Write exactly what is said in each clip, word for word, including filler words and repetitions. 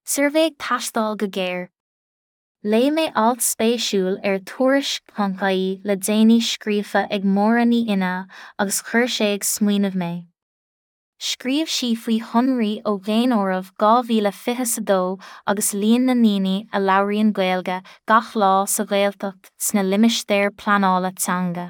Suirbhé ag teastáil go géar. Léigh mé alt spéisiúil ar tuairisc.ie le déanaí scríofa ag Máire Ní Fhinneadha agus chuir sé ag smaoineamh mé. Scríobh sí faoi shonraí ó Dhaonáireamh dhá mhíle fiche a dó agus líon na ndaoine a labhraíonn Gaeilge gach lá sa Ghaeltacht sna limistéir pleanála teanga.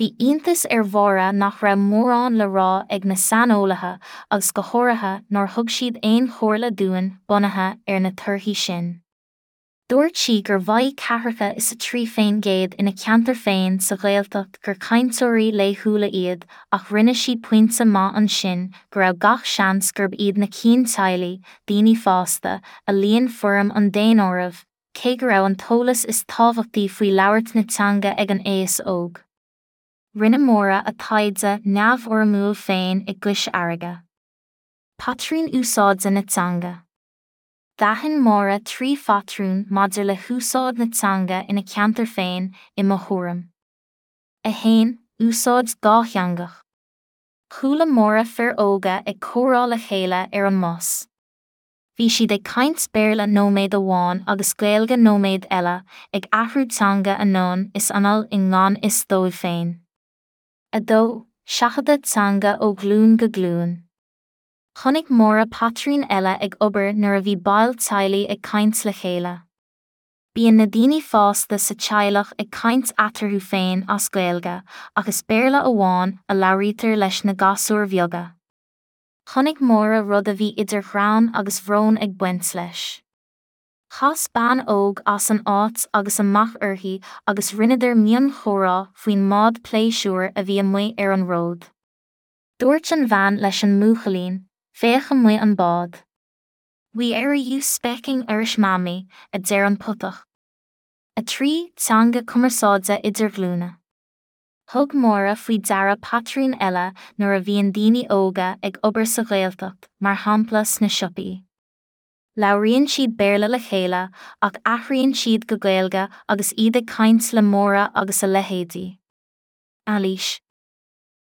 Bhí iontas ar Mháire nach raibh mórán le rá ag na saineolaithe agus go háirithe nár thug siad aon chomhairle dúinn bunaithe ar na torthaí sin. Dúirt sí gur mhaígh ceathracha is a trí faoin gcéad ina ceantar féin sa Ghaeltacht gur cainteoirí laethúla iad ach rinne sí pointe maith ansin go raibh gach seans gurb iad na cinn teaghlaigh, daoine fásta, a líon foirm an daonáirimh, cé go raibh an t-eolas is tábhachtaí faoi labhairt na teanga ag an aos óg. Rinne Máire a taighde neamhfhoirmiúil féin i gCois Fharraige. Patrún úsáide na teanga. D'aithin Máire trí phatrún maidir le húsáid na teanga ina ceantar féin, i mo thuairim. a haon. Úsáid dhátheangach. Chuala Máire fir óga ag comhrá le chéile ar an mbus. Bhí siad ag caint Béarla nóiméad amháin agus Gaeilge nóiméad eile, ag athrú teanga anonn is anall i ngan fhios dóibh féin. a dó. Seachadadh teanga ó ghlúin go glúin. Chonaic Máire patrún eile ag obair nuair a bhí baill teaghlaigh ag caint le chéile. Bíonn na daoine fásta sa teaghlach ag caint eatarthu féin as Gaeilge, ach is Béarla amháin a labhraítear leis na gasúir bheaga. Chonaic Máire rud a bhí idir ghreann agus bhrón ag baint leis. Chas bean óg as an áit agus amach uirthi agus rinneadar mionchomhrá faoin mbád pléisiúir a bhí amuigh ar an ród. Dúirt an bhean leis an mbuachaillín, féach amuigh an bád. We are you speaking Irish mammy, a deir an putach. a trí. Teanga cumarsáide idirghlúine. Thug Máire faoi deara patrún eile nuair a bhíonn daoine óga ag obair sa Ghaeltacht, mar shampla sna siopaí. Labhraíonn siad Béarla le chéile ach athraíonn siad go Gaeilge agus iad ag caint le Máire agus a leithéidí. Anailís.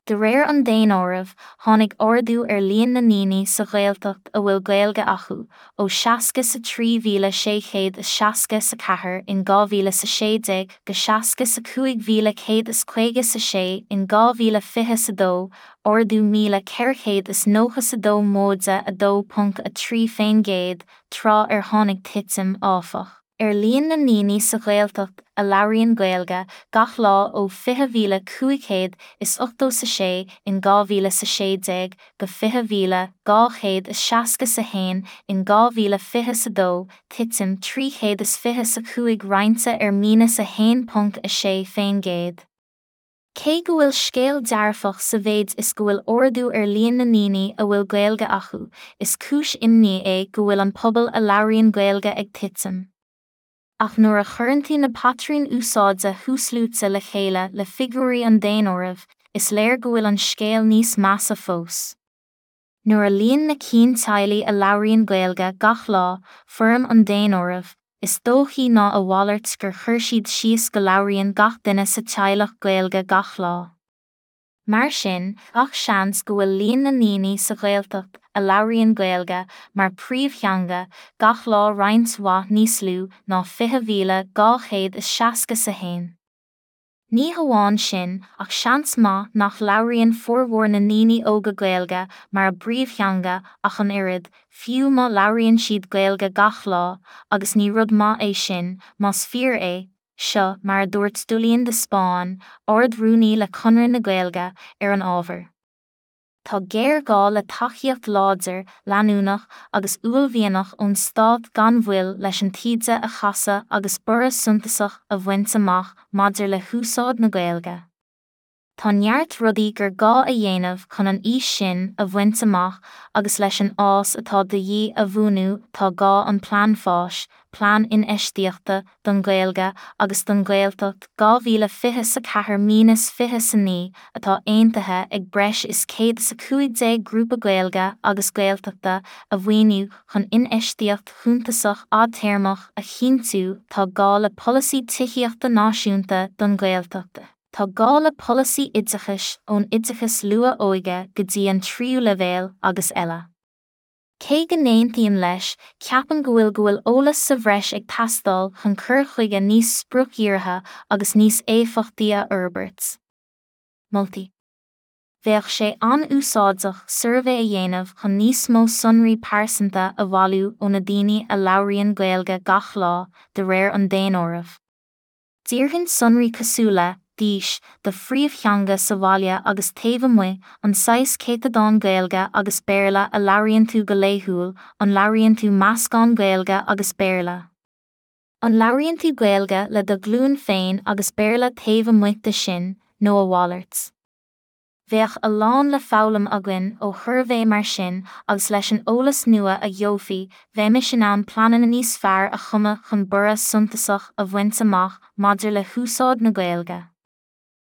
De réir an daonáirimh, tháinig ardú ar líon na ndaoine sa Ghaeltacht a bhfuil Gaeilge acu, ó seasca sa trí mhíle sé chéad is seasca sa ceathair in dhá mhíle sa sé déag go seasca sa cúig mhíle céad is caoga sa sé in dhá mhíle fiche sa dó, ardú míle ceithre chéad is nócha sa dó móide a dó ponc a trí faoin gcéad, tráth ar tháinig titim, áfach, ar líon na ndaoine sa Ghaeltacht a labhraíonn Gaeilge gach lá ó fiche mhíle cúig chéad is ochtó sa sé in dhá mhíle sa sé déag go fiche mhíle dhá chéad is seasca sa haon in dhá mhíle fiche sa dó, titim trí chéad is fiche sa cúig roinnte ar míneas a haon ponc a sé faoin gcéad. Cé go bhfuil scéal dearfach sa mhéid is go bhfuil ardú ar líon na ndaoine a bhfuil Gaeilge acu, is cúis imní é go bhfuil an pobal a labhraíonn Gaeilge ag titim. Ach nuair a chuireann tú na patrúin úsáide thuasluaite le chéile le figiúirí an daonáirimh, is léir go bhfuil an scéal níos measa fós. Nuair a líon na cinn teaghlaigh a labhraíonn Gaeilge gach lá, foirm an daonáirimh, is dóichí ná a mhalairt gur chuir siad síos go labhraíonn gach duine sa teaghlach Gaeilge gach lá. Mar sin, gach seans go bhfuil líon na ndaoine sa Ghaeltacht a labhraíonn Gaeilge mar phríomhtheanga gach lá roinnt mhaith níos lú ná fiche mhíle dhá chéad is seasca sa haon. Ní hamháin sin ach seans maith nach labhraíonn formhór na ndaoine óga Gaeilge mar a bpríomhtheanga ach an oiread, fiú má labhraíonn siad Gaeilge gach lá, agus ní rud maith é sin, más fíor é, seo mar a dúirt Julian de Spáinn, Ard-Rúnaí le Conradh na Gaeilge, ar an ábhar. Tá géarghá le tacaíocht láidir, leanúnach agus uaillmhianach ón stát gan mhoill leis an taoide a chasadh agus borradh suntasach a bhaint amach maidir le húsáid na Gaeilge. Tá neart rudaí gur gá a dhéanamh chun an fhís sin a bhaint amach agus leis an fhás atá de dhíth a bhunú tá gá an plean fáis, plean infheistíochta don Ghaeilge agus don Ghaeltacht dhá mhíle fiche sa ceathair míneas fiche sa naoi atá aontaithe ag breis is céad sa cúig déag grúpa Gaeilge agus Gaeltachta a mhaoiniú chun infheistíocht shuntasach fhadtéarmach a chinntiú tá gá le polasaí tithíochta náisiúnta don Ghaeltacht. Tá gá le polasaí oideachais ón oideachas luath-óige go dtí an tríú leibhéal agus eile. Cé go n-aontaím leis, ceapaim go bhfuil go bhfuil eolas sa bhreis ag teastáil chun cur chuige níos spriocdhírithe agus níos éifeachtaí a fhorbairt. Moltaí. Bheadh sé an-úsáideach suirbhé a dhéanamh chun níos mó sonraí pearsanta a bhailiú ó na daoine a labhraíonn Gaeilge gach lá, de réir an daonáirimh. D'iarrfainn sonraí cosúil le, d'aois, do phríomhtheanga sa bhaile agus taobh amuigh, an saghas céatadán Gaeilge agus Béarla a labhraíonn tú go laethúil, an labhraíonn tú meascán Gaeilge agus Béarla. An labhraíonn tú Gaeilge le do ghlúin féin agus Béarla taobh amuigh de sin, nó a mhalairt. Bheadh a lán le foghlaim againn ó shuirbhé mar sin agus leis an eolas nua a gheofaí, bheimis in ann pleananna níos fearr a chumadh chun borradh suntasach a bhaint amach maidir le húsáid na Gaeilge.